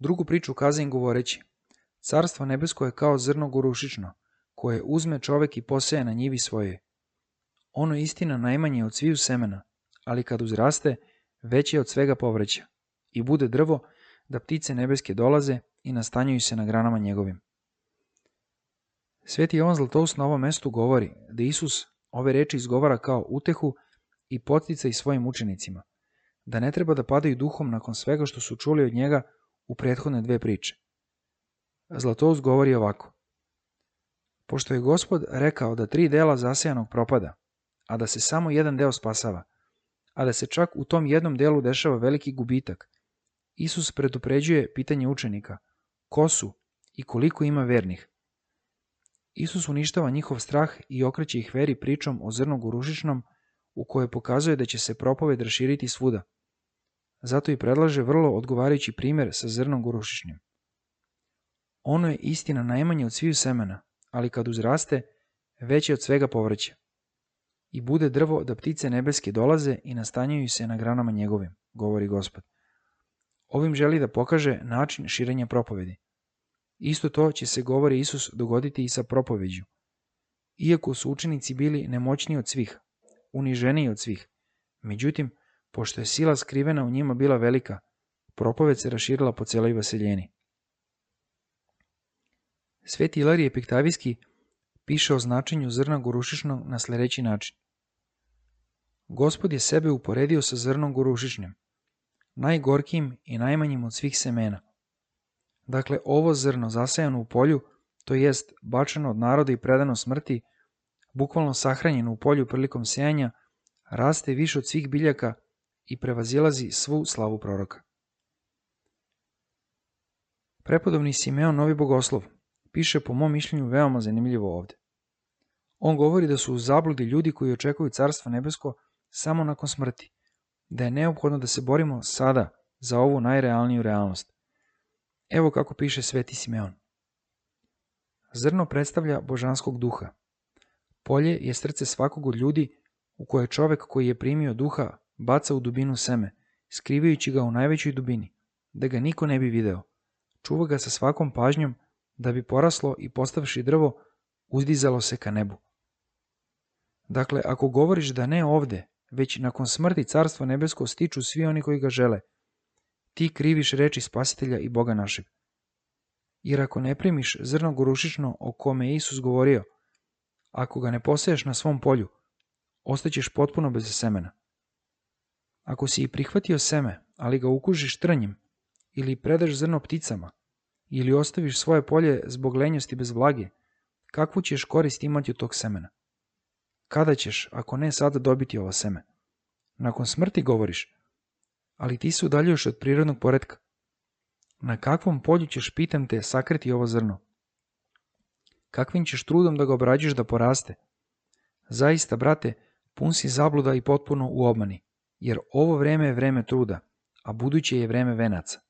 Drugu priču kaza im govoreći: Carstvo nebesko je kao zrno gorušično, koje uzme čovek i poseje na njivi svojoj. Ono je istina najmanje od sviju semena, ali kad uzraste, veće je od svega povrća i bude drvo da ptice nebeske dolaze i nastanjuju se na granama njegovim. Sveti Jovan Zlatoust na ovom mestu govori da Isus ove reči izgovara kao utehu i podsticaj svojim učenicima, da ne treba da padaju duhom nakon svega što su čuli od njega u prethodne dve priče. Zlatoust govori ovako: Pošto je Gospod rekao da 3 dela zasejanog propada, a da se samo jedan deo spasava, a da se čak u tom jednom delu dešava veliki gubitak, Isus predupređuje pitanje učenika: ko su i koliko ima vernih? Isus uništava njihov strah i okreće ih veri pričom o zrnu gorušičnom, u kojoj pokazuje da će se propoved raširiti svuda. Zato i predlaže vrlo odgovarajući primjer sa zrnom gorušičnim. Ono je istina najmanje od sviju semena, ali kad uzraste, veće od svega povrća. I bude drvo da ptice nebeske dolaze i nastanjuju se na granama njegovim, govori Gospod. Ovim želi da pokaže način širenja propovedi. Isto to će se, govori Isus, dogoditi i sa propoveđu. Iako su učenici bili nemoćniji od svih, uniženiji od svih, međutim, pošto je sila skrivena u njima bila velika, propoved se raširila po celoj vaseljeni. Sveti Ilarije Epiktavijski piše o značenju zrna gorušičnog na sledeći način. Gospod je sebe uporedio sa zrnom gorušičnim, najgorkijim i najmanjim od svih semena. Dakle, ovo zrno zasejano u polju, to jest bačeno od naroda i predano smrti, bukvalno sahranjeno u polju prilikom sejanja, raste više od svih biljaka i prevazilazi svu slavu proroka. Prepodobni Simeon Novi Bogoslov piše po mom mišljenju veoma zanimljivo ovde. On govori da su u zabludi ljudi koji očekuju Carstvo nebesko samo nakon smrti, da je neophodno da se borimo sada za ovu najrealniju realnost. Evo kako piše Sveti Simeon. Zrno predstavlja božanskog duha. Polje je srce svakog od ljudi u koje čovek koji je primio duha baca u dubinu seme, skrivajući ga u najvećoj dubini, da ga niko ne bi video. Čuva ga sa svakom pažnjom da bi poraslo i postavši drvo, uzdizalo se ka nebu. Dakle, ako govoriš da ne ovde, već nakon smrti Carstvo nebesko stiču svi oni koji ga žele, ti kriviš reči Spasitelja i Boga našeg. Jer ako ne primiš zrno gorušično o kome je Isus govorio, ako ga ne poseješ na svom polju, ostaćeš potpuno bez semena. Ako si i prihvatio seme, ali ga ukužiš trnjem, ili predaš zrno pticama, ili ostaviš svoje polje zbog lenjosti bez vlage, kakvu ćeš korist imati od tog semena? Kada ćeš, ako ne sada, dobiti ovo seme? Nakon smrti govoriš, ali ti se udaljuješ od prirodnog poretka. Na kakvom polju ćeš, pitam te, sakriti ovo zrno? Kakvim ćeš trudom da ga obrađuješ da poraste? Zaista, brate, pun si zabluda i potpuno u obmani, jer ovo vreme je vreme truda, a buduće je vreme venaca.